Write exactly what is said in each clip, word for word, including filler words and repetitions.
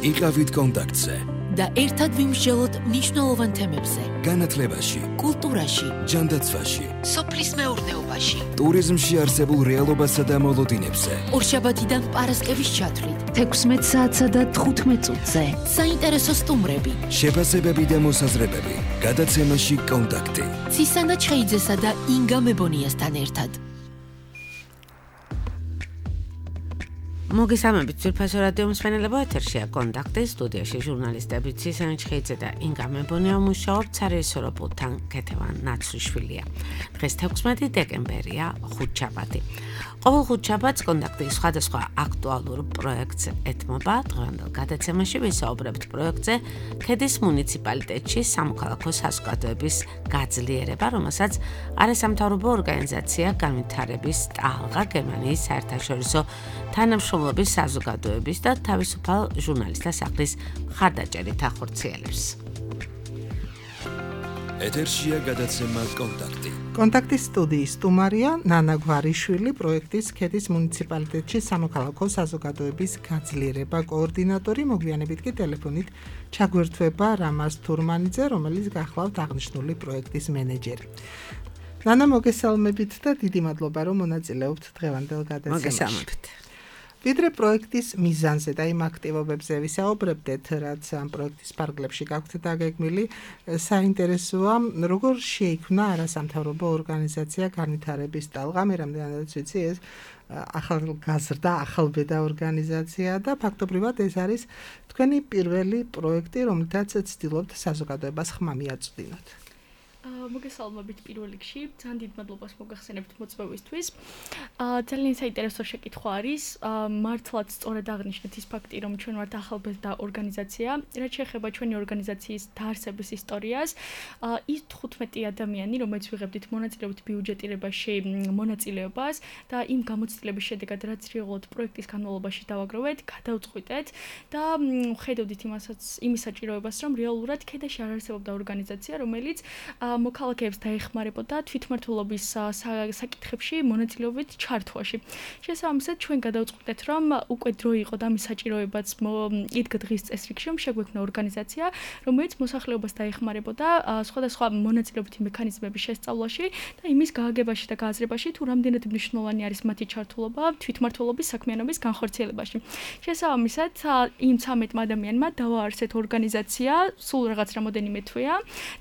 იყავით კონტაქტზე და ერთად ვიმსჯელოთ მნიშვნელოვან თემებზე. განათლებაში, კულტურაში, ჯანდაცვაში, სოფლის მეურნეობაში, ტურიზმში არსებულ რეალობასა და მოლოდინებზე. ორშაბათიდან პარასკევის ჩათვლით, თექვსმეტ საათსა და თხუთმეტ წუთზე. საინტერესო სტუმრები, შეფასებები და მოსაზრებები. გადაცემაში კონტაქტი. ცისანა ჩხეიძესა და ინგა მებონიასთან ერთად. მოგესალმებით, ძვირფასო რადიო მსმენელებო, ეთერშია კონტაქტი, სტუდიაში ჟურნალისტები ცისანა ჩხეიძე და ინგა მებონია მუშაობთ, სარეჟისორო პულტთან ქეთევან ნაცვლიშვილია. დღეს თექვსმეტი დეკემბერია, ხუთშაბათი. ყოველ ხუთშაბათს კონტაქტი სხვადასხვა აქტუალურ პროექტს ეთმობა. დღევანდელ გადაცემაში ვისაუბრებთ პროექტზე ქედის მუნიციპალიტეტში სამოქალაქო საზოგადოების გაძლიერება, რომელსაც არასამთავრობო ორგანიზაცია განვითარების ტალღა გერმანიის საერთაშორისო თანამშრომლობის საზოგადოების და თავისუფალ ჟურნალისტთა სახლის მხარდაჭერით ახორციელებს. ეთერშია გადაცემა კონტაქტი. კონტაქტის სტუდიის სტუმარია ნანა გვარიშვილი, პროექტის ქედის მუნიციპალიტეტში სამოქალაქო საზოგადოების გაძლიერება კოორდინატორი. მოგვიანებით კი ტელეფონით ჩაგვერთვება რამაზ თურმანიძე, რომელიც გახლავთ აღნიშნული პროექტის მენეჯერი. ნანა, მოგესალმებით და დიდი მადლობა, რომ მონაწილეობთ დღევანდელ გადაცემაში. მოგესალმებით. ვიდრე პროექტის მიზანზე და იმ აქტივობებზე ვისაუბრებდეთ, რაც ამ პროექტის ფარგლებში გაქვთ დაგეგმილი, საინტერესოა, როგორ შეიქმნა არასამთავრობო ორგანიზაცია განვითარების ტალღა. მე რამდენადაც ვიცი, ეს ახალგაზრდა, ახალბედა ორგანიზაცია და ფაქტობრივად ეს არის თქვენი პირველი პროექტი, რომელთაც ცდილობთ საზოგადოებას ხმა მიაწვდინოთ. მოგესალმებით პირველ რიგში, ძალიან დიდ მადლობას მოგახსენებთ მოწვევისთვის. ძალიან საინტერესო შეკითხვა არის, მართლაც სწორად აღნიშნეთ ის ფაქტი, რომ ჩვენ ვართ ახალბედა ორგანიზაცია. რაც შეეხება ჩვენი ორგანიზაციის დაარსების ისტორიას, ის თხუთმეტი ადამიანი, რომელიც ვიღებდით მონაწილეობით ბიუჯეტირებაში მონაწილეობას და იმ გამოცდილების შედეგად, რაც რეალურად პროექტის განმავლობაში დავაგროვეთ, გადავწყვიტეთ და ხედავდით იმასაც, იმის საჭიროებას, რომ რეალურად ქედაში არ არსებობდა ორგანიზაცია, რომელიც მოქალაქეებს დაეხმარებოდა თვითმმართველობის საკითხებში მონაწილეობით ჩართვაში. შესაბამისად, ჩვენ გადავწყვიტეთ, რომ უკვე დრო იყო და ამის საჭიროებაც იდგა დღის წესრიგში, რომ შეგვექმნა ორგანიზაცია, რომელიც მოსახლეობას დაეხმარებოდა სხვადასხვა მონაწილეობითი მექანიზმების შესწავლაში და იმის გააგებაში და გააზრებაში, თუ რამდენად მნიშვნელოვანი არის მათი ჩართულობა თვითმმართველობის საქმიანობის განხორციელებაში. შესაბამისად, იმ ცამეტ ადამიანმა დავაარსეთ ორგანიზაცია, სულ რაღაც რამოდენიმე თვეა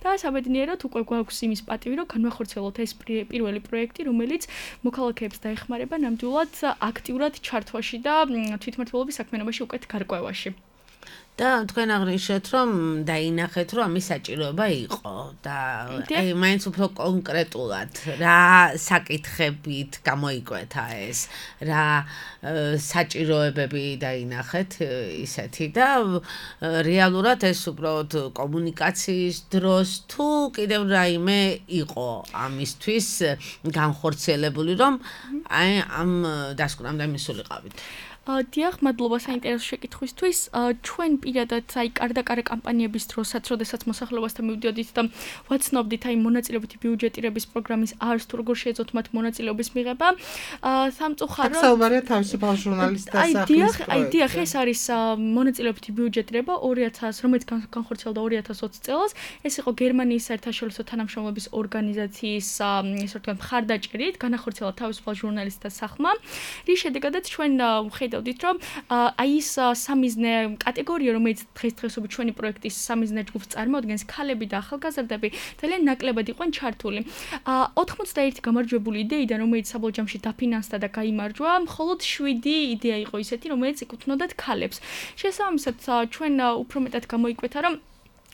და საბედნიეროდ უკვე გვაქვს იმის პატივი, რომ განვახორციელოთ ეს პირველი პროექტი, რომელიც მოქალაქეებს დაეხმარება ნამდვილად აქტიურად ჩართვაში და თვითმმართველობის საქმიანობაში უკეთ გარკვევაში. და თქვენ აღნიშნეთ, რომ დაინახეთ, რომ ამის საჭიროება იყო და აი მაინც უფრო კონკრეტულად რა საკითხებით გამოიკვეთა ეს, რა საჭიროებები დაინახეთ ისეთი და რეალურად ეს უბრალოდ კომუნიკაციის დროს თუ კიდევ რაიმე იყო ამისთვის განხორციელებული, რომ აი ამ დასკვნამდე მისულიყავით. დიახ, მადლობა საინტერესო შეკითხვისთვის. ჩვენ პირადად აი კარდაკარა კამპანიების დროსაც, როდესაც მოსახლეობასთან მივდიოდით და ვაცნობდით აი მონაწილეობითი ბიუჯეტირების პროგრამის არს თუ როგორ შეეძლოთ მათ მონაწილეობის მიღება. სამწუხაროდ საუბარია თავისუფალ ჟურნალისტთა სახლის პროექტი. აი დიახ, ეს არის მონაწილეობითი ბიუჯეტირება ორი ათას, რომელიც განხორციელდა ორი ათას ოცი წელს. ეს იყო გერმანიის საერთაშორისო თანამშრომლობის ორგანიზაციის ისე ვთქვათ მხარდაჭერით, განახორციელა თავისუფალ ჟურნალისტთა სახმა. რის შედეგადაც ჩვენ ვხედავთ რომ აი ეს სამიზნე კატეგორია, რომელიც დღესდღეობით ჩვენი პროექტის სამიზნე ჯგუფს წარმოადგენს, ქალები და ახალგაზრდები, ძალიან ნაკლებად იყვნენ ჩართული. ოთხმოცდაერთი გამარჯვებული იდეიდან, რომელიც საბოლოო ჯამში დაფინანსდა და გაიმარჯვა, მხოლოდ შვიდი იდეა იყო ისეთი, რომელიც ეკუთვნოდათ ქალებს. შესაბამისად, ჩვენ უფრო მეტად გამოიკვეთა, რომ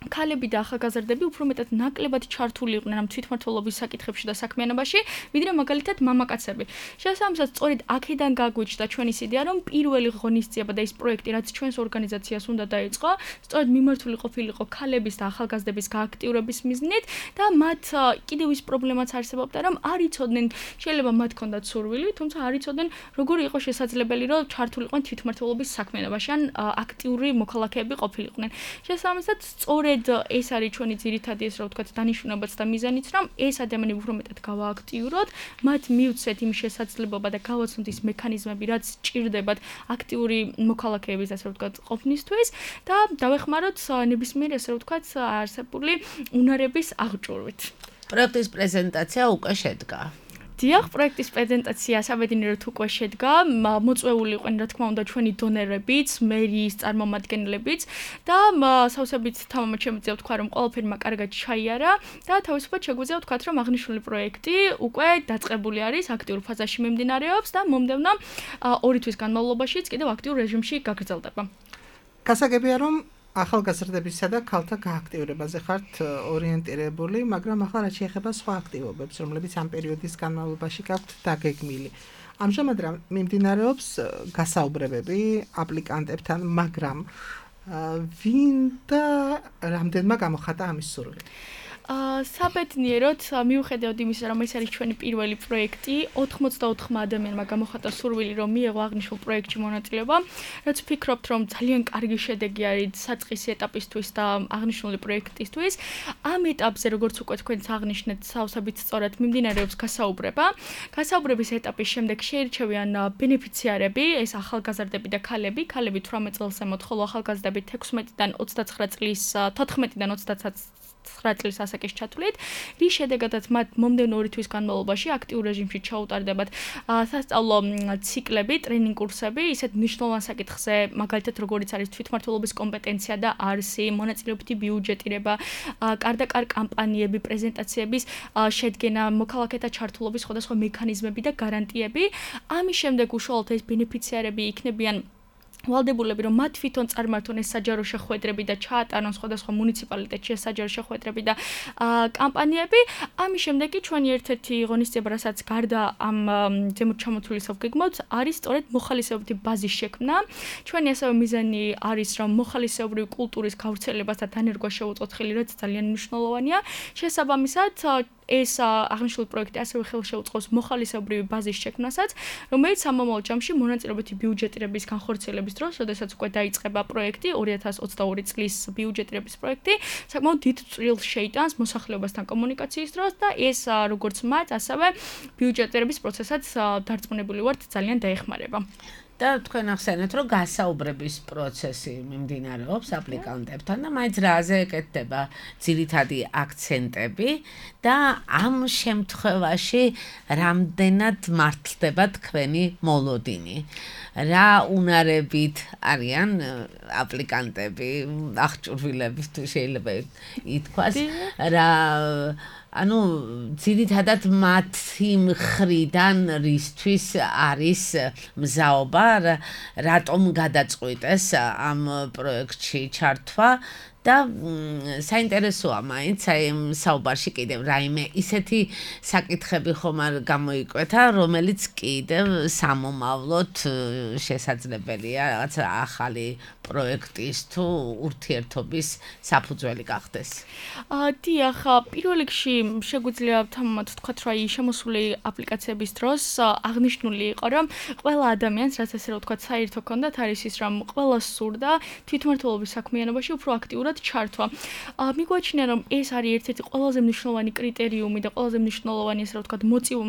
ქალები და ახალგაზრდები უფრო მეტად ნაკლებად ჩართული იყვნენ ამ თვითმმართველობის საკითხებში და საქმიანობაში, ვიდრე მაგალითად მამაკაცები. შესაბამისად, სწორედ აქედან გაგვიჩნდა ჩვენის იდეა, რომ პირველი ღონისძიება და ის პროექტი, რაც ჩვენს ორგანიზაციას უნდა დაეწყო, სწორედ მიმართული ყოფილიყო ქალების და ახალგაზრდების გააქტიურების მიზნით და მათ კიდევ ის პრობლემაც არსებობდა, რომ არ იცოდნენ, შეიძლება მათ ჰქონდათ სურვილი, თუმცა არ იცოდნენ, როგორი იყო შესაძლებელი, რომ ჩართულიყვნენ თვითმმართველობის საქმიანობაში, ან აქტიური მოქალაქეები ყოფილიყვნენ. შესაბამისად, სწორედ სწორედ ეს არის ჩვენი ძირითადი ეს რა ვთქვათ დანიშნულებაც და მიზანიც, რომ ეს ადამიანები უფრო მეტად გავააქტიუროთ, მათ მივცეთ იმ შესაძლებლობა და გავაცნოთ ის მექანიზმები, რაც ჭირდებათ აქტიური მოქალაქეების ასე ვთქვათ ყოფნისთვის და დავეხმაროთ ნებისმიერ ასე ვთქვათ არსებული უნარების აღჭურვით. პროექტის პრეზენტაცია უკვე შედგა. დიახ, პროექტის პრეზენტაცია საბედნიეროდ უკვე შედგა, მოწვეული იყვნენ რა თქმა უნდა ჩვენი დონერებიც, მერიის წარმომადგენლებიც და სავსებით თამამად შემიძლია ვთქვა, რომ ყველაფერმა კარგად ჩაიარა და თავისუფლად შეგვიძლია ვთქვათ, რომ აღნიშნული პროექტი უკვე დაწყებული არის, აქტიურ ფაზაში მიმდინარეობს და მომდევნო ორი თვის განმავლობაშიც კიდევ აქტიურ რეჟიმში გაგრძელდება. გასაგებია, რომ ახალგაზრდებისა და ქალთა გააქტიურებაზე ხართ ორიენტირებული, მაგრამ ახლა რაც შეეხება სხვა აქტივობებს, რომლებიც ამ პერიოდის განმავლობაში გაქვთ დაგეგმილი. ამჟამად მიმდინარეობს გასაუბრებები აპლიკანტებთან, მაგრამ ვინ და რამდენმა გამოხატა ამის სურვილი? საბედნიეროდ მიუხედავად იმისა, რომ ეს არის ჩვენი პირველი პროექტი, ოთხმოცდაოთხმა ადამიანმა გამოხატა სურვილი, რომ მიეღო აღნიშნულ პროექტში მონაწილეობა, რაც ვფიქრობთ, რომ ძალიან კარგი შედეგი არის საწყისი ეტაპისთვის და აღნიშნული პროექტისთვის. ამ ეტაპზე, როგორც უკვე თქვენც აღნიშნეთ, სავსებით სწორად მიმდინარეობს გასაუბრება. გასაუბრების ეტაპის შემდეგ შეირჩევიან ბენეფიციარები, ეს ახალგაზრდები და ქალები, ქალები თვრამეტ წელს ემოთ, ხოლო ახალგაზრდები თექვსმეტიდან ოცდაცხრა წლის, თოთხმეტიდან ოცდაცხრა წლის ასაკის ჩათვლით, რის შედეგადაც მათ მომდევნო ორი თვის განმავლობაში აქტიურ რეჟიმში ჩაუტარდებათ სასწავლო ციკლები, ტრენინგ კურსები, ისეთ მნიშვნელოვან საკითხზე, მაგალითად როგორიც არის თვითმმართველობის კომპეტენცია და არსი, მონაწილეობითი ბიუჯეტირება, კარდაკარ კამპანიები, პრეზენტაციების შედგენა, მოქალაქეთა ჩართულობის სხვადასხვა მექანიზმები და გარანტიები. ამის შემდეგ უშუალოდ ეს ბენეფიციარები იქნებიან ვალდებულები, რომ მათ თვითონ წარმართონ ეს საჯარო შეხვედრები და ჩაატარონ სხვადასხვა მუნიციპალიტეტში ეს საჯარო შეხვედრები და კამპანიები. ამის შემდეგ კი ჩვენი ერთ-ერთი ღონისძიება, რასაც გარდა ამ ზემოთ ჩამოთვლილისა ვგეგმავთ, არის სწორედ მოხალისეობითი ბაზის შექმნა. ჩვენი ასევე მიზანი არის, რომ მოხალისეობრივი კულტურის გავრცელებას და დანერგვას შევუწყოთ ხელი, რაც ძალიან მნიშვნელოვანია. შესაბამისად, ეს აღნიშნული პროექტი ასევე ხელშეუწყობს მოხალისეობრივი ბაზის შექმნასაც, რომელიც სამომავლო ჯამში მონაწილეობითი ბიუჯეტირების განხორციელების დროს, როდესაც უკვე დაიწყება პროექტი, ორი ათას ოცდაორი წლის ბიუჯეტირების პროექტი, საკმაოდ დიდ წვრილს შეიტანს მოსახლეობასთან კომუნიკაციის დროს და ეს როგორც მათ, ასევე ბიუჯეტირების პროცესაც დარწმუნებული ვართ, ძალიან დაეხმარება. და თქვენ ახსენეთ, რომ გასაუბრების პროცესი მიმდინარეობს აპლიკანტებთან და მაინც რაზე ეკეთდება ძირითადი აქცენტები და ამ შემთხვევაში რამდენად მართლდება თქვენი მოლოდინი. რა უნარებით არიან აპლიკანტები, აღჭურვილები თუ შეიძლება ითქვას, რა ანუ ძირითადად მათი მხრიდან რისთვის არის მზაობა, რატომ გადაწყვიტეს ამ პროექტში ჩართვა და საინტერესოა მაინც აი საუბარში კიდევ რაიმე ისეთი საკითხები ხომ არ გამოიკვეთა, რომელიც კიდევ სამომავლოდ შესაძლებელია რაღაც ახალი პროექტის თუ ურთიერთობის საფუძველი გახდეს. დიახ, პირველ რიგში შეგვიძლია თამამად ვთქვათ, რომ აი შემოსული აპლიკაციების დროს აღნიშნული იყო, რომ ყველა ადამიანს, რაც ესე რომ ვთქვათ, საერთო ჰქონდათ არის ის, რომ ყველას სურდა თვითმმართველობის საქმიანობაში უფრო აქტიურად ჩართვა. მიგვაჩნია, რომ ეს არის ერთ-ერთი ყველაზე მნიშვნელოვანი კრიტერიუმი და ყველაზე მნიშვნელოვანი ესე რომ ვთქვათ,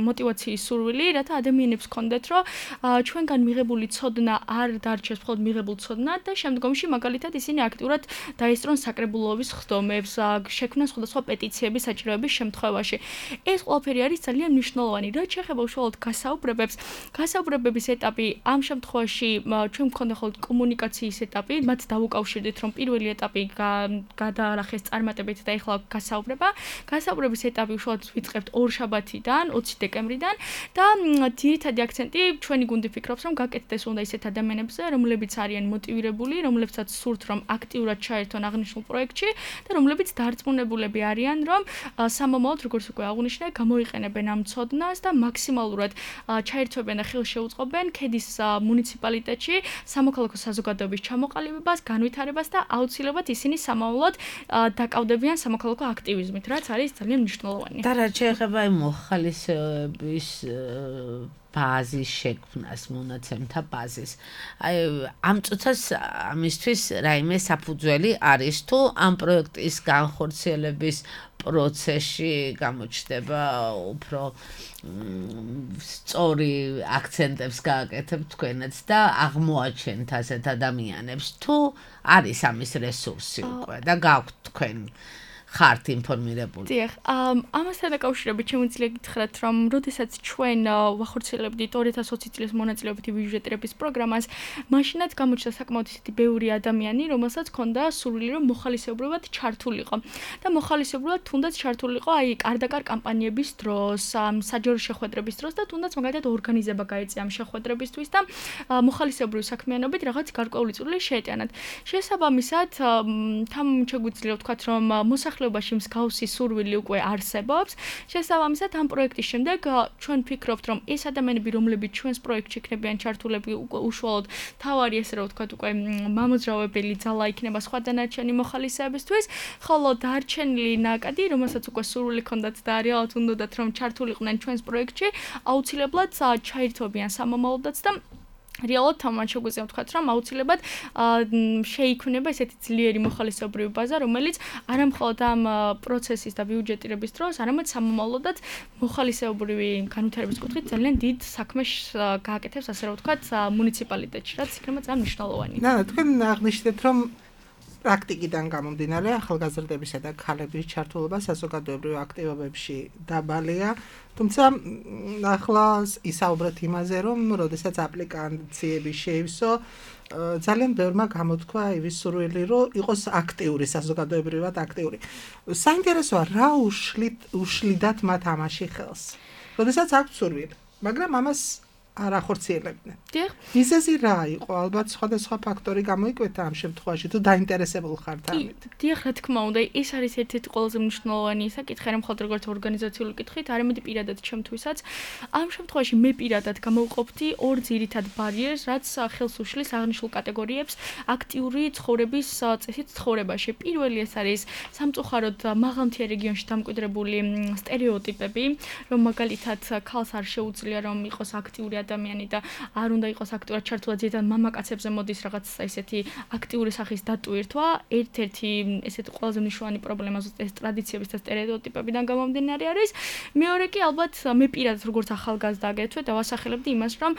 მოტივაციის სურვილი, რათა ადამიანებს ჰქონდეთ, რომ ჩვენგან მიღებული ცოდნა არ დარჩეს მხოლოდ მიღებულ ცოდნად და შემდგომში მაგალითად ისინი აქტიურად დაესწრონ საკრებულოების ხდომებს, შექმნან სხვადასხვა პეტიციების საჭიროების შემთხვევაში. ეს ყველაფერი არის ძალიან მნიშვნელოვანი. რაც შეეხება უშუალოდ გასაუბრებებს, გასაუბრებების ეტაპი ამ შემთხვევაში ჩვენ მქონდა ხოლმე კომუნიკაციის ეტაპი, მათ დავუკავშირდით, რომ პირველი ეტაპი გადაარახეს წარმატებით და ეხლა გასაუბრება. გასაუბრების ეტაპი უშუალოდ ვიწყებთ ორ შაბათიდან, ოცი დეკემბრიდან და ძირითადი აქცენტი ჩვენი გუნდი ფიქრობს, რომ გაკეთდეს უნდა ისეთ ადამიანებზე, რომლებიც არიან მოტივირებული, რომლებსაც სურთ, რომ აქტიურად ჩაერთონ აღნიშნულ პროექტში და რომლებიც დარწმუნებულები არიან, რომ სამომავლოდ, როგორც უკვე აღვნიშნე, გამოიყენებენ ამ ცოდნას და მაქსიმალურად ჩაერთვებენ და ხელს შეუწყობენ ქედის მუნიციპალიტეტში სამოქალაქო საზოგადოების ჩამოყალიბებას, განვითარებას და აუცილებლად ისინი სამომავლოდ დაკავდებიან სამოქალაქო აქტივიზმით, რაც არის ძალიან მნიშვნელოვანი. და რაც შეეხება მოხალისეობის ბაზის შექმნას, მონაცემთა ბაზის. აი ამ წუთას ამისთვის რაიმე საფუძველი არის თუ ამ პროექტის განხორციელების პროცესში გამოჩნდება უფრო სწორი აქცენტებს გააკეთებთ თქვენაც და აღმოაჩენთ ასეთ ადამიანებს თუ არის ამის რესურსი უკვე და გაქვთ თქვენ ხართ ინფორმირებული. დიახ, ამასთან დაკავშირებით შემიძლია გითხრათ, რომ როდესაც ჩვენ ვახორციელებდით ორი ათას ოცი წლის მონაწილეობითი ბიუჯეტირების პროგრამას, მაშინაც გამოჩნდა საკმაოდ ისეთი ბევრი ადამიანი, რომელსაც ჰქონდა სურვილი, რომ მოხალისეობრივად ჩართულიყო. და მოხალისეობრივად თუნდაც ჩართულიყო აი კარდაკარ კამპანიების დროს, საჯარო შეხვედრების დროს და თუნდაც მაგალითად ორგანიზება გაეწია ამ შეხვედრებისთვის და მოხალისეობრივი საქმიანობით რაღაც გარკვეული წვლილი შეეტანათ. შესაბამისად, თან შეგვიძლია ვთქვათ, რომ მოსახლეობაში მსგავსი სურვილი უკვე არსებობს. შესაბამისად, ამ პროექტის შემდეგ ჩვენ ვფიქრობთ, რომ ეს ადამიანები, რომლებიც ჩვენს პროექტში იქნებიან ჩართულები, უკვე უშუალოდ თავარი ესე რომ ვთქვათ, უკვე მამოძრავებელი ძალა იქნება სხვა დანარჩენი მოხალისეებისთვის, ხოლო დარჩენილი ნაკადი, რომელსაც უკვე სურვილი ჰქონდათ და რეალურად უნდათ, რომ ჩართულიყვნენ ჩვენს პროექტში, აუცილებლად ჩაირთვებიან სამომავლოდაც და რეალურად თამაშ შეგვიძლია ვთქვათ, რომ აუცილებლად შეიქმნება ესეთი ძლიერი მოხალისეობრივი ბაზა, რომელიც არამხოლოდ ამ პროცესის და ბიუჯეტირების დროს, არამედ სამომავლოდაც მოხალისეობრივი განვითარების კუთხით ძალიან დიდ საქმეს გააკეთებს, ასე რომ ვთქვათ, მუნიციპალიტეტში, რაც იქნება ძალიან მნიშვნელოვანი. და თქვენ აღნიშნეთ, რომ პრაქტიკიდან გამომდინარე ახალგაზრდებისა და ქალების ჩართულობა საზოგადოებრივ აქტივობებში დაბალია, თუმცა ახლა ისაუბრეთ იმაზე, რომ როდესაც აპლიკაციები შეივსო, ძალიან ბევრმა გამოთქვა იმის სურვილი, რომ იყოს აქტიური, საზოგადოებრივად აქტიური. საინტერესოა, რა უშლიდათ მათ ამაში ხელს. როდესაც აქვს სურვილი, მაგრამ ამას არ ახორციელებდნენ. დიახ. მიზეზი რა იყო? ალბათ სხვადასხვა ფაქტორი გამოიკვეთა ამ შემთხვევაში, თუ დაინტერესებულ ხართ ამით. დიახ, რა თქმა უნდა, ეს არის ერთ-ერთი ყველაზე მნიშვნელოვანი საკითხი, არა მხოლოდ როგორც ორგანიზაციული კითხვით, არამედ პირადად ჩემთვისაც. ამ შემთხვევაში მე პირადად გამოვყოფდი ორ ძირითად ბარიერს, რაც ხელს უშლის აღნიშნულ კატეგორიებს აქტიური ცხოვრების წესით ცხოვრებაში. პირველი ეს არის სამწუხაროდ მაღალმთიან რეგიონში დამკვიდრებული სტერეოტიპები, რომ მაგალითად ქალს არ შეუძლია რომ იყოს აქტიური ადამიანი და არ უნდა იყოს აქტიურად ჩართულად ზედან მამაკაცებზე მოდის რაღაც ესეთი აქტიური სახის დატვირთვა. ერთ-ერთი ესეთი ყველაზე მნიშვნელოვანი პრობლემა ზუსტად ეს ტრადიციების და სტერეოტიპებიდან გამომდინარე არის. მეორე კი ალბათ მე პირადად როგორც ახალგაზრდა აგეთვე და ვასახელებდი იმას, რომ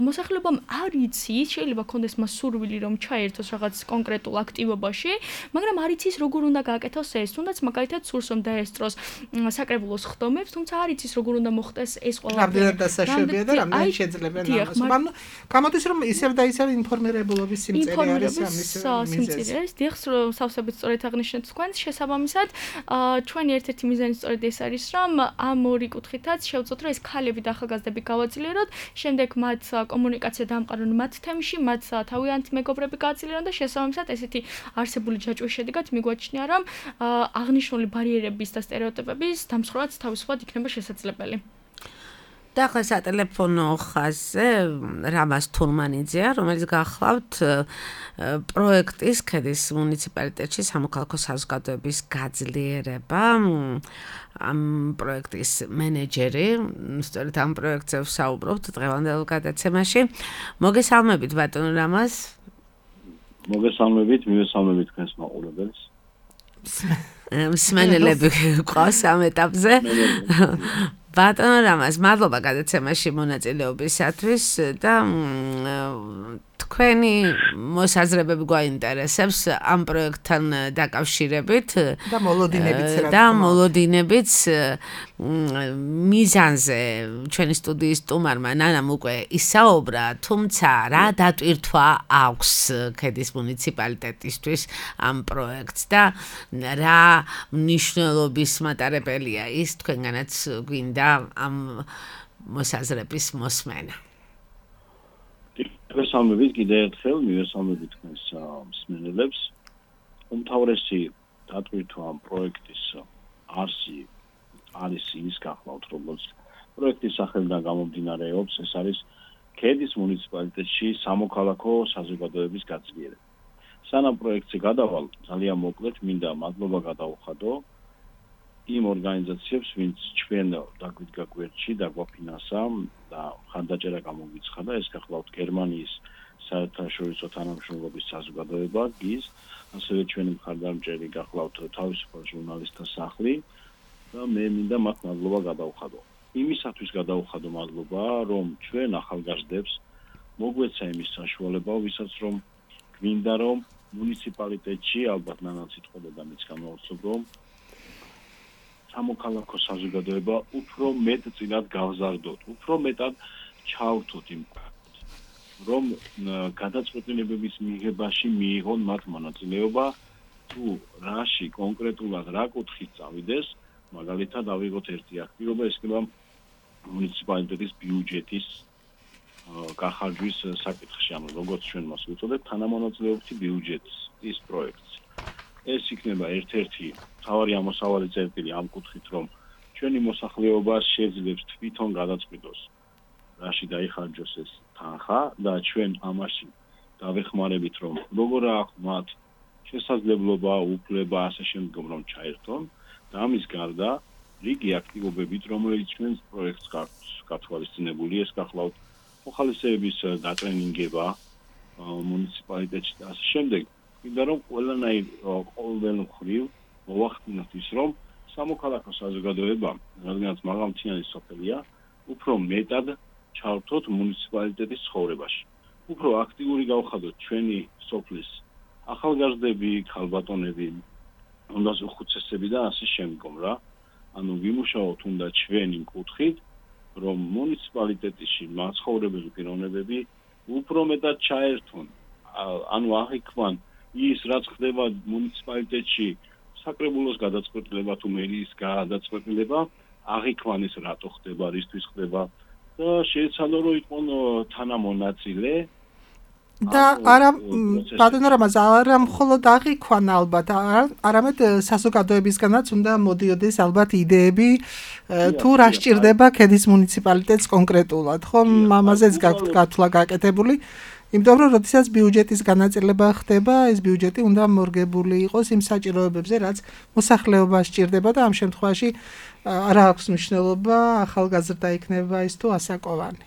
მოსახლეობამ არ იცის, შეიძლება ქონდეს მას სურვილი რომ ჩაერთოს რაღაც კონკრეტულ აქტივობაში, მაგრამ არ იცის როგორ უნდა გააკეთოს ეს. თუნდაც მაგალითად სურს რომ დაესწროს საკრებულოს ხდომებს, თუმცა არ იცის როგორ უნდა მოხდეს ეს ყველაფერი. რამდენად დასაშვებია და რამდენად შეძლებენ ამას. ანუ გამოდის რომ ისევ და ისევ ინფორმირებულობის სიმწირე არის ამის სიმწირე. დიახ, სავსებით სწორედ აღნიშნეთ თქვენ. შესაბამისად, ჩვენი ერთ-ერთი მიზანი სწორედ ეს არის, რომ ამ ორი კუთხითაც შევწოთ, რომ ეს ქალები და ახალგაზრდები გავაძლიეროთ, შემდეგ მათ კომუნიკაცია დაამყარონ მათ თემში, მათ თავიანთი მეგობრები გააძლიერონ და შესაბამისად ესეთი არსებული ჯაჭვის შედეგად მიგვაჩნია, რომ აღნიშნული ბარიერების და სტერეოტიპების დამსხვრევაც თავისუფლად იქნება შესაძლებელი. და ახლა სატელეფონო ხაზზე რამაზ თურმანიძეა, რომელიც გახლავთ პროექტის ქედის მუნიციპალიტეტში სამოქალაქო საზოგადოების გაძლიერება, ამ პროექტის მენეჯერი, სწორედ ამ პროექტზე ვსაუბრობთ დღევანდელ გადაცემაში. მოგესალმებით ბატონო რამაზ. მოგესალმებით, მივესალმებით თქვენს მაყურებელს. მსმენელები ყავს ამ ეტაპზე. ბატონო რამაზ, მადლობა გადაცემაში მონაწილეობისათვის და თქვენი მოსაზრებები გვაინტერესებს ამ პროექტთან დაკავშირებით და მოლოდინებიც რა და მოლოდინებიც მიზანზე ჩვენი სტუდიის სტუმარმა ნანამ უკვე ისაუბრა, თუმცა რა დატვირთვა აქვს ქედის მუნიციპალიტეტისთვის ამ პროექტს და რა მნიშვნელობის მატარებელია ის თქვენგანაც გვინდა ამ მოსაზრების მოსმენა. მივესალმებით კიდევ ერთხელ, მივესალმებით თქვენს მსმენელებს. უმთავრესი დატვირთვა ამ პროექტის არსი არის ის გახლავთ, როგორც პროექტის სახელიდან გამომდინარეობს, ეს არის ქედის მუნიციპალიტეტში სამოქალაქო საზოგადოების გაძლიერება. სანამ პროექტზე გადავალ, ძალიან მოკლედ მინდა მადლობა გადავუხადო იმ ორგანიზაციებს, ვინც ჩვენ დაგვიდგა გვერდში და გვაფინანსა და და ხანდაჭერა გამოგვიცხადა, ეს გახლავთ გერმანიის საერთაშორისო თანამშრომლობის საზოგადოება გიზ, ასევე ჩვენი მხარდამჭერი გახლავთ თავისუფალ ჟურნალისტთა სახლი და მე მინდა მათ მადლობა გადავხადო. იმისათვის გადავხადო მადლობა, რომ ჩვენ ახალგაზრდებს მოგვეცა იმის საშუალება, ვისაც რომ გვინდა რომ მუნიციპალიტეტში ალბათ ნანაც იტყოდა და მეც გამოვცნობ რომ სამოქალაქო საზოგადოება უფრო მეტ წინათ გავზარდოთ, უფრო მეტად ჩავრთოთ იმ რომ გადაწყვეტილებების მიღებაში მიიღონ მათ მონაწილეობა თუ რაში კონკრეტულად რა კუთხით წავიდეს, მაგალითად ავიღოთ ერთი აქტივობა, ეს იქნება მუნიციპალიტეტის ბიუჯეტის გახარჯვის საკითხში, ანუ როგორც ჩვენ მას ვუწოდებთ, თანამონაწილეობითი ბიუჯეტის პროექტს. ეს იქნება ერთ-ერთი მთავარი ამოსავალი წერტილი ამ კუთხით, რომ ჩვენი მოსახლეობა შეძლებს თვითონ გადაწყვიტოს, რაში დაიხარჯოს ეს თანხა და ჩვენ ამაში დავეხმარებით, რომ როგორ აქვს მათ შესაძლებლობა, უფლება ასე შემდგომ რომ ჩაერთონ და ამის გარდა რიგი აქტივობებით, რომელიც ჩვენს პროექტს გათვალისწინებული, ეს გახლავთ მოხალისეების დატრენინგება მუნიციპალიტეტში და ასე შემდეგ. მინდა რომ ყველანაირ ყოველმხრივ მოვახდინოთ ის, რომ სამოქალაქო საზოგადოება, რადგანაც მაღალმთიანი სოფელია, უფრო მეტად ჩავრთოთ მუნიციპალიტეტის ცხოვრებაში. უფრო აქტიური გავხადოთ ჩვენი სოფლის ახალგაზრდები, ქალბატონები, უნდას უხუცესები და ასე შემდგომ რა. ანუ ვიმუშაოთ უნდა ჩვენ იმ კუთხით, რომ მუნიციპალიტეტში მაცხოვრებელი პიროვნებები უფრო მეტად ჩაერთონ. ანუ აღიქვან ის რაც ხდება მუნიციპალიტეტში საკრებულოს გადაწყვეტილება თუ მერიის გადაწყვეტილება, აღიქვან ის რატო ხდება, რისთვის ხდება და შეეცადო რომ იყვნენ თანამონაწილე და არა ბატონო რამაზ არა მხოლოდ აღიქვან ალბათ, არამედ საზოგადოებისგანაც უნდა მოდიოდეს ალბათ იდეები თუ რა სჭირდება ქედის მუნიციპალიტეტს კონკრეტულად, ხო? ამაზეც გაქვთ გათვლა გაკეთებული. იმიტომ რომ როდესაც ბიუჯეტის განაწილება ხდება, ეს ბიუჯეტი უნდა მორგებული იყოს იმ საჭიროებებზე, რაც მოსახლეობას სჭირდება და ამ შემთხვევაში არა აქვს მნიშვნელობა ახალგაზრდა იქნება ის თუ ასაკოვანი.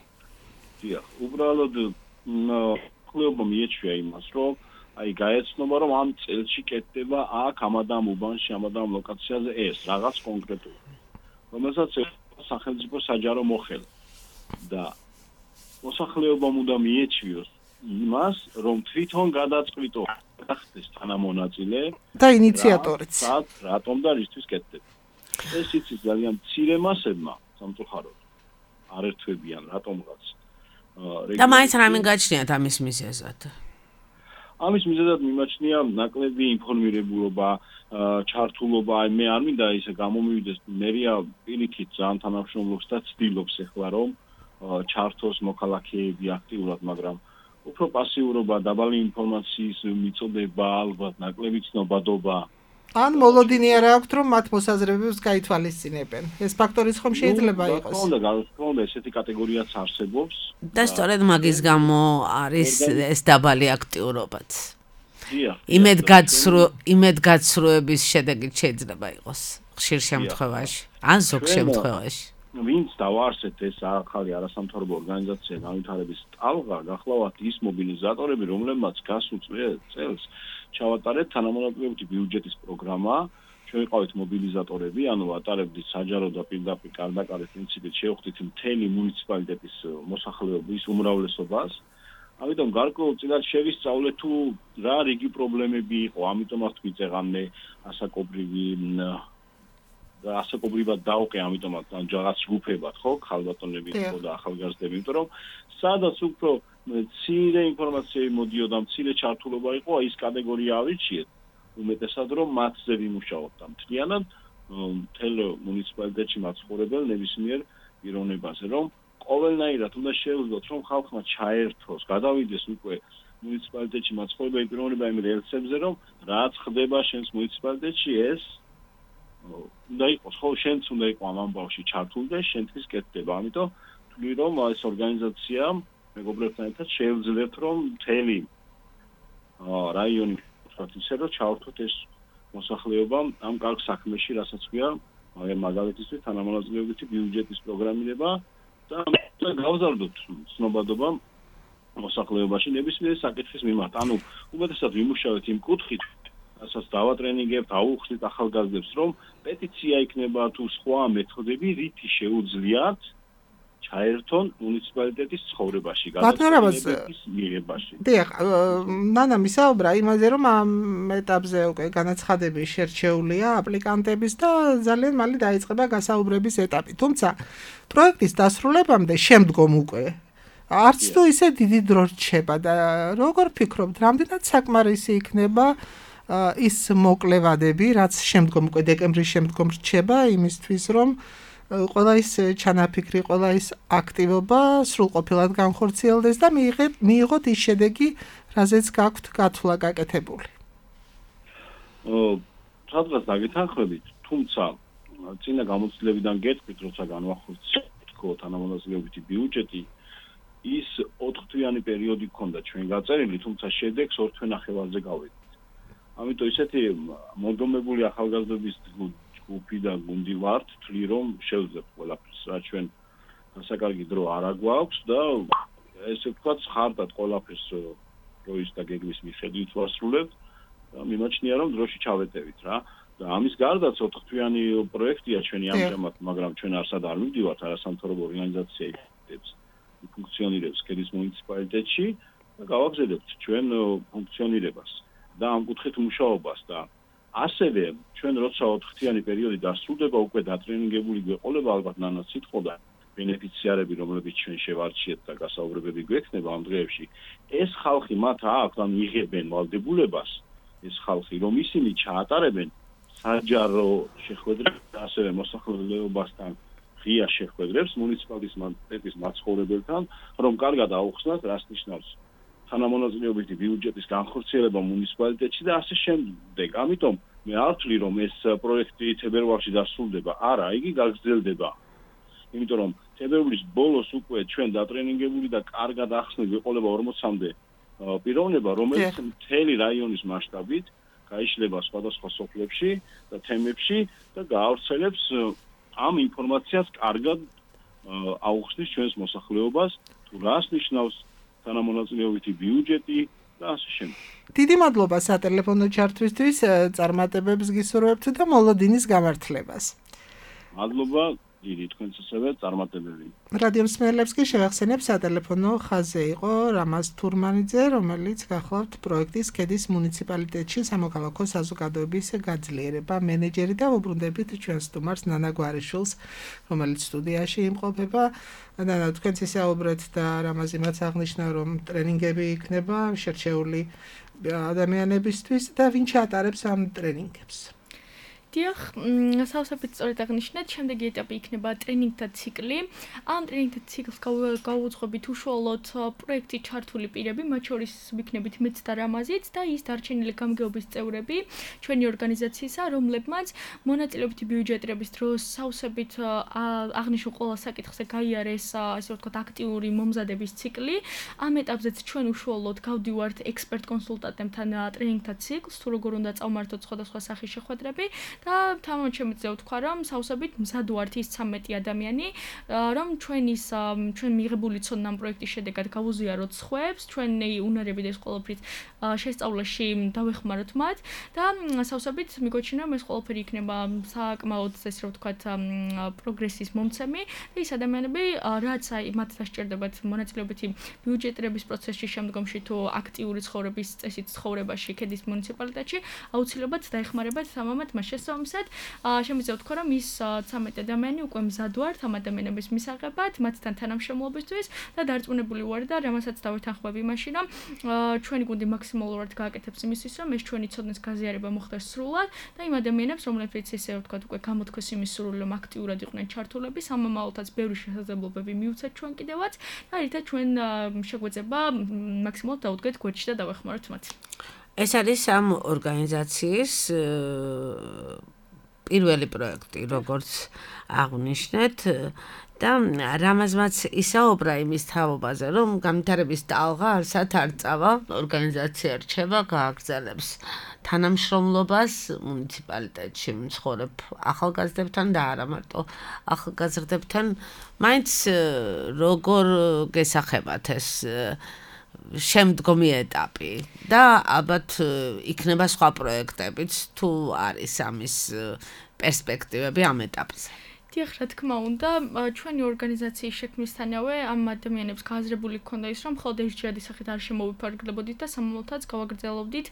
დიახ, უბრალოდ მოსახლეობა მიეჩვია იმას, რომ აი გაეცნობა, რომ ამ წელში კეთდება აქ ამადამ უბანში, ამადამ ლოკაციაზე ეს რაღაც კონკრეტული, რომელსაც სახელმწიფო საჯარო მოხელა და მოსახლეობამ უნდა მიეჩვიოს იმას, რომ თვითონ გადაწყვიტო გახდეს თანამონაწილე და ინიციატორიც. რატომ და რისთვის კეთდება. ეს იცის ძალიან მცირე მასებმა სამწუხაროდ არ ერთვებიან რატომღაც. და მაინც რამე გაჩნიათ ამის მიზეზად? ამის მიზეზად მიმაჩნია ნაკლები ინფორმირებულობა, ჩართულობა, აი მე არ მინდა ისე გამომივიდეს, მერია პირიქით ძალიან თანამშრომლობს და ცდილობს ახლა რომ ჩართოს მოქალაქეები აქტიურად, მაგრამ უფრო პასიურობა, დაბალი ინფორმაციის მიწოდება, ალბათ ნაკლები ცნობადობა. ან მოლოდინი არა აქვთ, რომ მათ მოსაზრებებს გაითვალისწინებენ. ეს ფაქტორიც ხომ შეიძლება იყოს. უნდა გავხსნათ, ესეთი კატეგორიაც არსებობს. და სწორედ მაგის გამო არის ეს დაბალი აქტიურობაც. იმედგაცრუ იმედგაცრუების შედეგი შეიძლება იყოს ხშირ შემთხვევაში, ან ზოგ შემთხვევაში. ვინც დავარსეთ ეს ახალი არასამთავრობო ორგანიზაცია განვითარების ტალღა, გახლავთ ის მობილიზატორები, რომლებმაც გასულ წელს ჩავატარეთ თანამონაწილეობითი ბიუჯეტის პროგრამა, ჩვენ ვიყავით მობილიზატორები, ანუ ვატარებდით საჯარო და პირდაპირ კარდაკარის პრინციპით შევხვდით მთელი მუნიციპალიტეტის მოსახლეობის უმრავლესობას. ამიტომ გარკვეულწილად შევისწავლეთ თუ რა რიგი პრობლემები იყო, ამიტომაც გვიწეღამნე ასაკობრივი და ასაკობრივად დაუყე, ამიტომაც რაღაც ჯგუფებად, ხო, ქალბატონები და ახალგაზრდები, იმიტომ რომ სადაც უფრო მცირე ინფორმაციები მოდიოდა, მცირე ჩართულობა იყო, ის კატეგორია ავირჩიეთ, უმეტესად რომ მათზე ვიმუშაოთ და მთლიანად მთელ მუნიციპალიტეტში მაცხოვრებელ ნებისმიერ პიროვნებაზე, რომ ყოველნაირად უნდა შევძლოთ, რომ ხალხმა ჩაერთოს, გადავიდეს უკვე მუნიციპალიტეტში მაცხოვრებელი პიროვნება იმ რელსებზე, რომ რაც ხდება შენს მუნიციპალიტეტში ეს უნდა იყოს, ხო, შენც უნდა იყო ამ ამბავში ჩართული და შენთვის კეთდება. ამიტომ ვთვლი, რომ ეს ორგანიზაცია მეგობრებთან ერთად შეეძლებთ, რომ მთელი რაიონი ისე რომ ჩავრთოთ ეს მოსახლეობა ამ კარგ საქმეში, რასაც ქვია მაგალითისთვის თანამონაწილეობითი ბიუჯეტის პროგრამირება და და გავზარდოთ ცნობადობა მოსახლეობაში ნებისმიერი საკითხის მიმართ. ანუ უმეტესად ვიმუშავეთ იმ კუთხით, რასაც დავატრენინგებთ, აუხსნით ახალგაზრდებს, რომ პეტიცია იქნება თუ სხვა მეთოდები, რითი შეუძლიათ ჩაერთონ მუნიციპალიტეტის ცხოვრებაში, გადაწყვეტილებების მიღებაში. დიახ, ნანა მისაუბრა იმაზე, რომ ამ ეტაპზე უკვე განაცხადები შერჩეულია აპლიკანტების და ძალიან მალე დაიწყება გასაუბრების ეტაპი. თუმცა პროექტის დასრულებამდე შემდგომ უკვე არც თუ ისე დიდი დრო რჩება და როგორ ფიქრობთ, რამდენად საკმარისი იქნება ის მოკლევადები, რაც შემდგომ უკვე დეკემბრის შემდგომ რჩება იმისთვის, რომ ყველა ის ჩანაფიქრი, ყველა ის აქტივობა სრულყოფილად განხორციელდეს და მიიღოთ ის შედეგი, რაზეც გაქვთ გათვლა გაკეთებული. სადღაც დაგეთანხმებით, თუმცა წინა გამოცდილებიდან გეტყვით, როცა განვახორციელებთ თანამონაზრეობითი ბიუჯეტი, ის ოთხთვიანი პერიოდი ჰქონდა ჩვენ გაწერილი, თუმცა შედეგს ორ თვე ნახევარზე გავედით. ამიტომ ისეთი მოგდომებული ახალგაზრდების ჯგუფი და გუნდი ვართ, თვლი რომ შევძლებთ ყველაფერს, რა ჩვენ საკარგი დრო არ აგვაქვს და ესე ვთქვათ, ხარდად ყველაფერს დროის და გეგმის მიხედვით ვასრულებთ და მიმაჩნია რომ დროში ჩავეტევით რა. და ამის გარდაც ოთხთვიანი პროექტია ჩვენი ამჟამად, მაგრამ ჩვენ არსად არ მივდივართ, არასამთავრობო ორგანიზაცია იქნებს ფუნქციონირებს ქედის მუნიციპალიტეტში და გავაგზავნებთ ჩვენ ფუნქციონირებას და ამ კუთხით მუშაობას და ასევე ჩვენ როცა ოთხთვიანი პერიოდი დასრულდება, უკვე დატრენინგებული გვეყოლება ალბათ ნანაც სიტყოდა ბენეფიციარები, რომლებიც ჩვენ შევარჩიეთ და გასაუბრებები გვექნება ამ დღეებში. ეს ხალხი მათ აქვს, ან იღებენ ვალდებულებას, ეს ხალხი, რომ ისინი ჩაატარებენ საჯარო შეხვედრებს და ასევე მოსახლეობასთან ღია შეხვედრებს მუნიციპალიტეტის მაცხოვრებელთან, რომ კარგად აუხსნათ, რას ნიშნავს თანამონაზრეობითი ბიუჯეტის განხორციელება მუნიციპალიტეტში და ასე შემდეგ. ამიტომ მე არ ვთვლი, რომ ეს პროექტი თებერვალში დასრულდება. არა, იგი გაგრძელდება. იმიტომ რომ თებერვლის ბოლოს უკვე ჩვენ დატრენინგებული და კარგად ახსნილ გვეყოლება ორმოცამდე პიროვნება, რომელიც მთელი რაიონის მასშტაბით გაიშლება სხვადასხვა სოფლებში და თემებში და გაავრცელებს ამ ინფორმაციას კარგად აუხსნის ჩვენს მოსახლეობას, თუ რას ნიშნავს თანამონაწილეობითი ბიუჯეტი და ასე შემდეგ. დიდი მადლობა სატელეფონო ჩართვისთვის, წარმატებებს გისურვებთ და მოლოდინის გამართლებას. მადლობა დიდი თქვენს ასევე წარმატებები. რადიო მსმენელებს კი შევახსენებ სატელეფონო ხაზზე იყო რამაზ თურმანიძე, რომელიც გახლავთ პროექტის ქედის მუნიციპალიტეტში სამოქალაქო საზოგადოების გაძლიერება მენეჯერი და უბრუნდებით ჩვენს სტუმარს ნანა გვარიშვილს, რომელიც სტუდიაში იმყოფება. ნანა, თქვენც ისაუბრეთ და რამაზ იმაც აღნიშნა, რომ ტრენინგები იქნება შერჩეული ადამიანებისთვის და ვინ ჩაატარებს ამ ტრენინგებს? დიახ, სავსებით სწორედ აღნიშნეთ, შემდეგი ეტაპი იქნება ტრენინგთა ციკლი. ამ ტრენინგთა ციკლს გავუძღვებით უშუალოდ პროექტში ჩართული პირები, მათ შორის ვიქნებით მეც და რამაზიც და ის დარჩენილი გამგეობის წევრები ჩვენი ორგანიზაციისა, რომლებმაც მონაწილეობითი ბიუჯეტირების დროს სავსებით აღნიშნულ ყველა საკითხზე გაიარეს, ასე ვთქვათ, აქტიური მომზადების ციკლი. ამ ეტაპზეც ჩვენ უშუალოდ გავდივართ ექსპერტ კონსულტანტებთან ტრენინგთა ციკლს, თუ როგორ უნდა წავმართოთ სხვადასხვა სახის შეხვედრები. და თამამად შემიძლია ვთქვა, რომ სავსებით მზად ვართ ის ცამეტი ადამიანი, რომ ჩვენის ჩვენ მიღებული ცოდნა ამ პროექტის შედეგად გავუზიაროთ სხვებს, ჩვენი უნარები და ეს ყველაფრით შესწავლაში დავეხმაროთ მათ და სავსებით მიგვაჩნია, რომ ეს ყველაფერი იქნება საკმაოდ ესე რომ ვთქვათ პროგრესის მომცემი და ის ადამიანები, რაც აი მათ დასჭირდებათ მონაწილეობითი ბიუჯეტირების პროცესში შემდგომში თუ აქტიური ცხოვრების წესით ცხოვრებაში ქედის მუნიციპალიტეტში აუცილებლად დაეხმარებათ თამამად მას შესაბამისად, შემიძლია ვთქვა, რომ ის ცამეტი ადამიანი უკვე მზად ვართ ამ ადამიანების მისაღებად, მათთან თანამშრომლობისთვის და დარწმუნებული ვარ და რამასაც დავეთანხმებ იმაში, რომ ჩვენი გუნდი მაქსიმალურად გააკეთებს იმისთვის, რომ ეს ჩვენი ცოდნის გაზიარება მოხდეს სრულად და იმ ადამიანებს, რომლებიც ესე ვთქვათ, უკვე გამოთქვეს იმის სურვილი, რომ აქტიურად იყვნენ ჩართულები, სამომავლოდაც ბევრი შესაძლებლობები მივცეთ ჩვენ კიდევაც და ერთად ჩვენ შეგვეძება მაქსიმალურად დავუდგეთ გვერდში და დავეხმაროთ მათ. ეს არის ამ ორგანიზაციის პირველი პროექტი, როგორც აღნიშნეთ და რამაზმაც ისაუბრა იმის თაობაზე, რომ განვითარების ტალღა არსად არ წავა, ორგანიზაცია რჩება, გააგრძელებს თანამშრომლობას მუნიციპალიტეტში მცხოვრებ ახალგაზრდებთან და არა მარტო ახალგაზრდებთან, მაინც როგორ გესახებათ ეს შემდგომი ეტაპი და ალბათ იქნება სხვა პროექტებიც თუ არის ამის პერსპექტივები ამ ეტაპზე. დიახ, რა თქმა უნდა, ჩვენი ორგანიზაციის შექმნისთანავე ამ ადამიანებს გააზრებული ჰქონდა ის, რომ მხოლოდ ერთჯერადი სახით არ შემოვიფარგლებოდით და სამომავლოდაც გავაგრძელობდით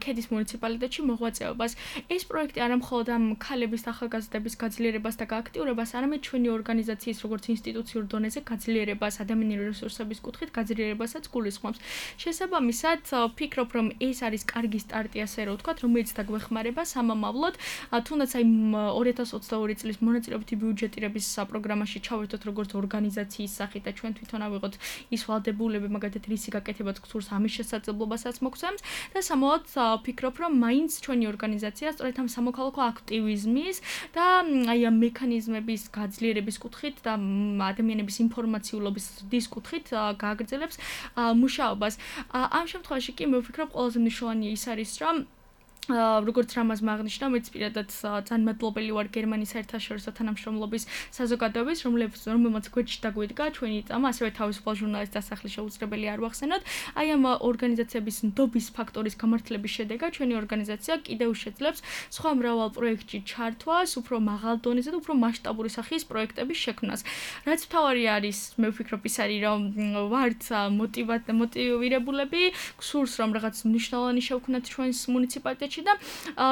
ქედის მუნიციპალიტეტში მოღვაწეობას. ეს პროექტი არა მხოლოდ ამ ქალების და ახალგაზრდების გაძლიერებას და გააქტიურებას, არამედ ჩვენი ორგანიზაციის როგორც ინსტიტუციურ დონეზე გაძლიერებას, ადამიანური რესურსების კუთხით გაძლიერებასაც გულისხმობს. შესაბამისად, ვფიქრობ, რომ ეს არის კარგი სტარტი, ასე რომ ვთქვათ, რომელიც დაგვეხმარება სამომავლოდ, თუნდაც აი ორი ათას ოცდაორი წლის მონაწილეობის ბიუჯეტირების პროგრამაში ჩავერთოთ როგორც ორგანიზაციის სახით და ჩვენ თვითონ ავიღოთ ის ვალდებულება, მაგალითად რისი გაკეთებაც გსურს, ამის შესაძლებლობასაც მოგცემს და სამოად ვფიქრობ, რომ მაინც ჩვენი ორგანიზაცია სწორედ ამ სამოქალაქო აქტივიზმის და აი ამ მექანიზმების გაძლიერების კუთხით და ადამიანების ინფორმაციულობის ზრდის კუთხით გააგრძელებს მუშაობას. ამ შემთხვევაში კი მე ვფიქრობ, ყველაზე მნიშვნელოვანი ის არის, რომ როგორც რამაზ მაგნიშნა, მეც პირადად ძალიან მადლობელი ვარ გერმანიის საერთაშორისო თანამშრომლობის საზოგადოების, რომელმაც გვერდში დაგვიდგა ჩვენი წამა, ასევე თავისუფალ ჟურნალისტ დასახლის შეუძლებელი არ ვახსენოთ. აი ამ ორგანიზაციების ნდობის ფაქტორის გამართლების შედეგად ჩვენი ორგანიზაცია კიდევ შეძლებს სხვა მრავალ პროექტში ჩართვას, უფრო მაღალ დონეზე და უფრო მასშტაბური სახის პროექტების შექმნას. რაც მთავარი არის, მე ვფიქრობ, ის არის, რომ ვართ მოტივირებულები, გსურს რომ რაღაც მნიშვნელოვანი შევქმნათ ჩვენს მუნიციპალიტეტში და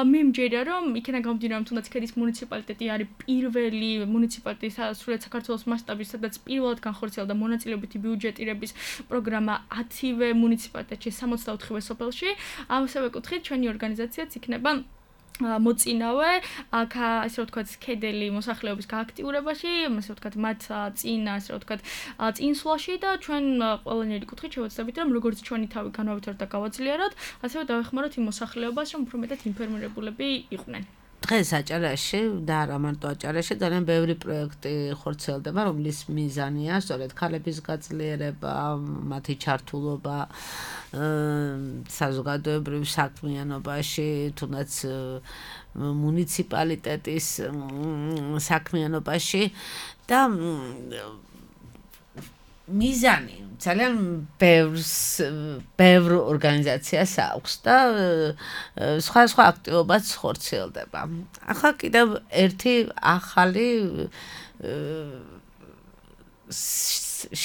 მე მჯერა, რომ იქიდან გამომდინარე, რომ თუნდაც ქედის მუნიციპალიტეტი არის პირველი მუნიციპალიტეტი სრულად საქართველოს მასშტაბის, სადაც პირველად განხორციელდა მონაწილეობითი ბიუჯეტირების პროგრამა ათივე მუნიციპალიტეტში, სამოცდაოთხივე სოფელში. ამავე კუთხით ჩვენი ორგანიზაციაც იქნება მოწინავე, ასე რომ ვთქვათ, ქედელი მოსახლეობის გააქტიურებაში, ასე რომ ვთქვათ, მათ წინ, ასე რომ ვთქვათ, წინსვლაში და ჩვენ ყველანაირი კუთხით შევეცდებით, რომ როგორც ჩვენი თავი განავითაროთ და გავაძლიეროთ, ასევე დავეხმაროთ იმ მოსახლეობას, რომ უფრო მეტად ინფორმირებულები იყვნენ. დღეს აჭარაში და არა მარტო აჭარაში ძალიან ბევრი პროექტი ხორციელდება, რომლის მიზანია სწორედ ქალების გაძლიერება, მათი ჩართულობა საზოგადოებრივ საქმიანობაში, თუნდაც მუნიციპალიტეტის საქმიანობაში და მიზანი ძალიან ბევრს ბევრ ორგანიზაციას აქვს და სხვა სხვა აქტივობაც ხორციელდება. ახლა კიდევ ერთი ახალი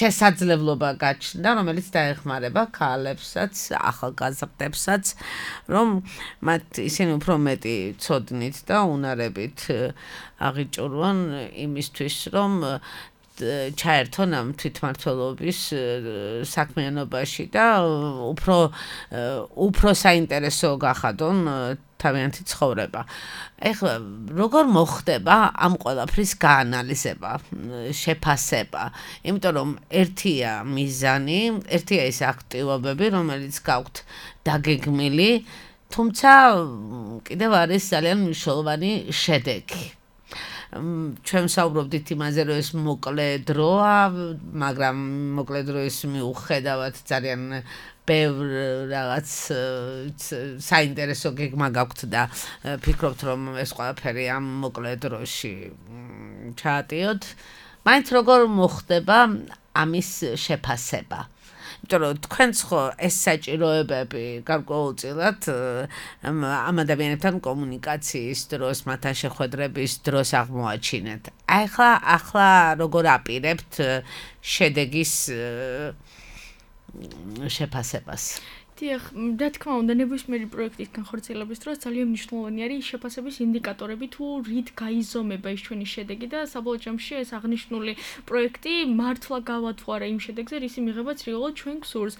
შესაძლებლობა გაჩნდა, რომელიც დაეხმარება ქალებსაც, ახალგაზრდებსაც, რომ მათ ისინი უფრო მეტი ცოდნით და უნარებით აღიჭურვონ იმისთვის, რომ ჩაერთონ ამ თვითმმართველობის საქმიანობაში და უფრო უფრო საინტერესო გახადონ თავიანთი ცხოვრება. ეხლა როგორ მოხდება ამ ყველაფრის გაანალიზება, შეფასება? იმიტომ რომ ერთია მიზანი, ერთია ის აქტივობები, რომელიც გაქვთ დაგეგმილი, თუმცა კიდევ არის ძალიან მნიშვნელოვანი შედეგი. ჩვენ ვსაუბრობდით იმაზე, რომ ეს მოკლე დროა, მაგრამ მოკლე დროის მიუხედავად ძალიან ბევრ რაღაც საინტერესო გეგმა გაქვთ და ფიქრობთ, რომ ეს ყველაფერი ამ მოკლე დროში ჩაატიოთ. მაინც როგორ მოხდება ამის შეფასება? იმიტომ რომ თქვენც ხო ეს საჭიროებები გარკვეულწილად ამ ადამიანებთან კომუნიკაციის დროს, მათთან შეხვედრების დროს აღმოაჩინეთ. ახლა ახლა როგორ აპირებთ შედეგის შეფასებას? დიახ, რა თქმა უნდა, ნებისმიერი პროექტის განხორციელების დროს ძალიან მნიშვნელოვანი არის შეფასების ინდიკატორები, თუ რით გაიზომება ის ჩვენი შედეგი და საბოლოო ჯამში ეს აღნიშნული პროექტი მართლა გავა თუ არა იმ შედეგზე, რისი მიღებაც რეალურად ჩვენ გსურს.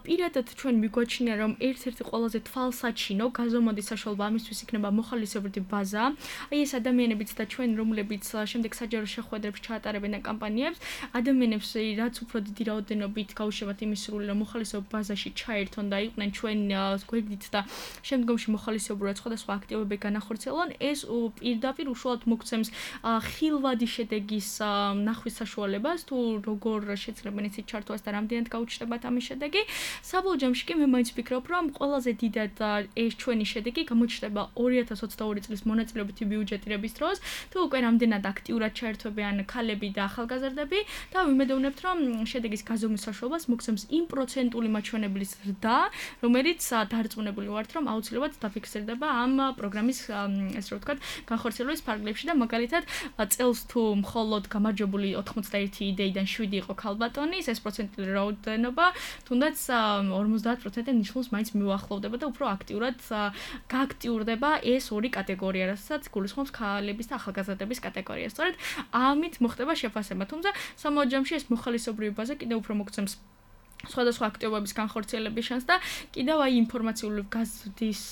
პირადად ჩვენ მიგვაჩნია, რომ ერთ-ერთი ყველაზე თვალსაჩინო გაზომვადი საშუალება ამისთვის იქნება მოხალისეობრივი ბაზა. აი ეს ადამიანებიც და ჩვენ, რომლებიც შემდეგ საჯარო შეხვედრებს ჩაატარებენ და კამპანიებს, ადამიანებს რაც უფრო დიდი რაოდენობით გაუშვათ იმის სრული, რომ მოხალისეობ ბაზაში ჩაერთონ უნდა იყვნენ ჩვენ გვერდით და შემდგომში მოხალისეობურად სხვადასხვა აქტივობები განახორციელონ, ეს პირდაპირ უშუალოდ მოგცემს ხილვადი შედეგის ნახვის საშუალებას, თუ როგორ შეძლებენ იცით ჩართვას და რამდენად გაუჩნდებათ ამის შედეგი. საბოლოო ჯამში კი მე მაინც ვფიქრობ, რომ ყველაზე დიდად ეს ჩვენი შედეგი გამოჩნდება ორი ათას ოცდაორი წლის მონაწილეობითი ბიუჯეტირების დროს, თუ უკვე რამდენად აქტიურად ჩაერთვებიან ქალები და ახალგაზრდები და ვიმედოვნებთ, რომ შედეგის გაზომვის საშუალებას მოგცემს იმ პროცენტული მაჩვენებლის ზრდა, რომელიც დარწმუნებული ვართ, რომ აუცილებლად დაფიქსირდება ამ პროგრამის ესე რომ ვთქვათ, განხორციელების ფარგლებში და მაგალითად წელს თუ მხოლოდ გამარჯვებული ოთხმოცდაერთი იდეიდან შვიდი იყო ქალბატონის, ეს პროცენტული რაოდენობა თუნდაც ორმოცდაათ პროცენტად ნიშნულს მაინც მიუახლოვდება და უფრო აქტიურად გააქტიურდება ეს ორი კატეგორია, რასაც გულისხმობს ქალების და ახალგაზრდების კატეგორია. სწორედ ამით მოხდება შეფასება, თუმცა სამოა ჯამში ეს მოხალისეობრივი ბაზა კიდევ უფრო მოგცემს სხვადასხვა აქტივობების განხორციელების შანსს და კიდევ აი ინფორმაციული გაზრდის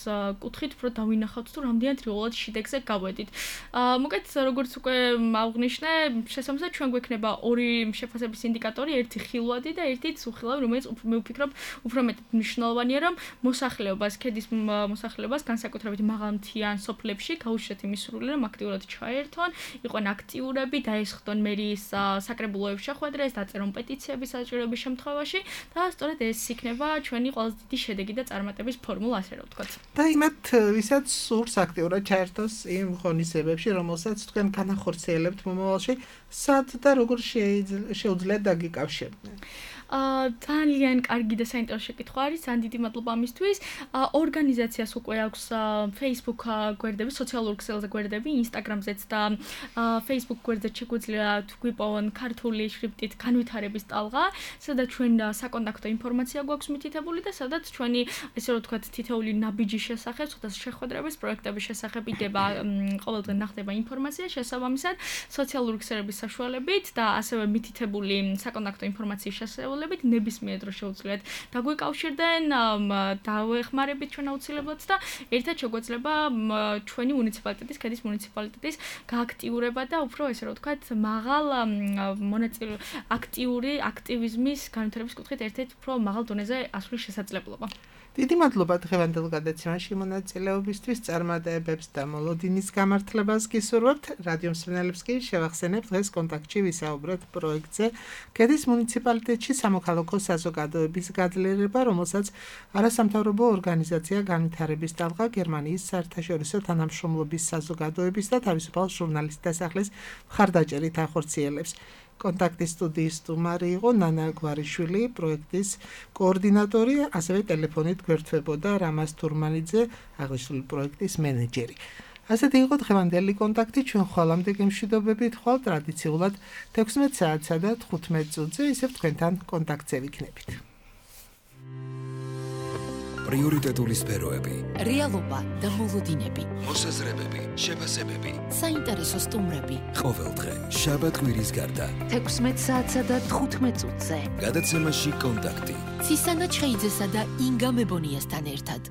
კუთხით უფრო დავინახავთ თუ რამდენად რეალურად შედეგზე გავედით. მოკეთ როგორც უკვე აღვნიშნე, შესაბამისად ჩვენ გვექნება ორი შეფასების ინდიკატორი, ერთი ხილვადი და ერთი უხილავი, რომელიც მე ვფიქრობ უფრო მეტად მნიშვნელოვანია, რომ მოსახლეობას, ქედის მოსახლეობას განსაკუთრებით მაღალმთიან სოფლებში გაუშვათ იმის სურვილი, რომ აქტიურად ჩაერთონ, იყვნენ აქტიურები, დაესხდონ მერის საკრებულოებს შეხვედრას, დაწერონ პეტიციები საჭიროების შემთხვევაში. და სწორედ ეს იქნება ჩვენი ყველაზე დიდი შედეგი და წარმატების ფორმულა, ასე რომ ვთქვათ. და იმათ, ვისაც სურს აქტიურად ჩაერთოს იმ ღონისძიებებში, რომელსაც თქვენ განახორციელებთ მომავალში, სად და როგორ შეუძლიათ დაგიკავშირდნენ? ძალიან კარგი და საინტერესო შეკითხვა არის, ძალიან დიდი მადლობა ამისთვის. ორგანიზაციას უკვე აქვს Facebook გვერდები, სოციალურ ქსელზე გვერდები, Instagram-ზეც და Facebook გვერდზე შეგვიძლია გვიპოვონ ქართული შრიფტით განვითარების ტალღა, სადაც ჩვენ საკონტაქტო ინფორმაცია გვაქვს მითითებული და სადაც ჩვენი ესე რომ ვთქვათ თითოეული ნაბიჯის შესახებ, ცოტა შეხვედრების, პროექტების შესახებ იდება ყოველდღე ნახდება ინფორმაცია, შესაბამისად სოციალური ქსელების საშუალებით და ასევე მითითებული საკონტაქტო ინფორმაციის შესახებ ნებისმიერ დროს შეუძლიათ დაგვიკავშირდნენ, დავეხმარებით ჩვენ აუცილებლად და ერთად შეგვეძლება ჩვენი მუნიციპალიტეტის, ქედის მუნიციპალიტეტის გააქტიურება და უფრო ესე რომ ვთქვათ, მაღალ მონაწილე აქტიური აქტივიზმის განვითარების კუთხით ერთ-ერთ უფრო მაღალ დონეზე ასვლის შესაძლებლობა. დიდი მადლობა დღევანდელ გადაცემაში მონაწილეობისთვის, წარმატებებს და მოლოდინის გამართლებას გისურვებთ. რადიო მსმენელებს კი შევახსენებთ დღეს კონტაქტში ვისაუბრეთ პროექტზე ქედის მუნიციპალიტეტში სამოქალაქო საზოგადოების გაძლიერება, რომელსაც არასამთავრობო ორგანიზაცია განვითარების ტალღა, გერმანიის საერთაშორისო თანამშრომლობის საზოგადოების და თავისუფალ ჟურნალისტთა სახლის მხარდაჭერით ახორციელებს. კონტაქტის სტუდიის სტუმარი იყო ნანა გვარიშვილი, პროექტის კოორდინატორი, ასევე ტელეფონით გვერდთვებოდა რამაზ თურმანიძე, აღნიშნული პროექტის მენეჯერი. ასეთი იყო დღევანდელი კონტაქტი, ჩვენ ხვალამდე გემშვიდობებით, ხვალ ტრადიციულად თექვსმეტ საათსა და თხუთმეტ წუთზე, ისევ თქვენთან კონტაქტზე ვიქნებით. პრიორიტეტული სფეროები, რეალობა და მოლოდინები, მოსაზრებები, შეფასებები, საინტერესო სტუმრები. ყოველდღე, შაბათ-კვირის გარდა, თექვსმეტ საათსა და თხუთმეტ წუთზე. გადაცემაში კონტაქტი. ცისანა ჩხეიძესა და ინგა მებონიასთან ერთად.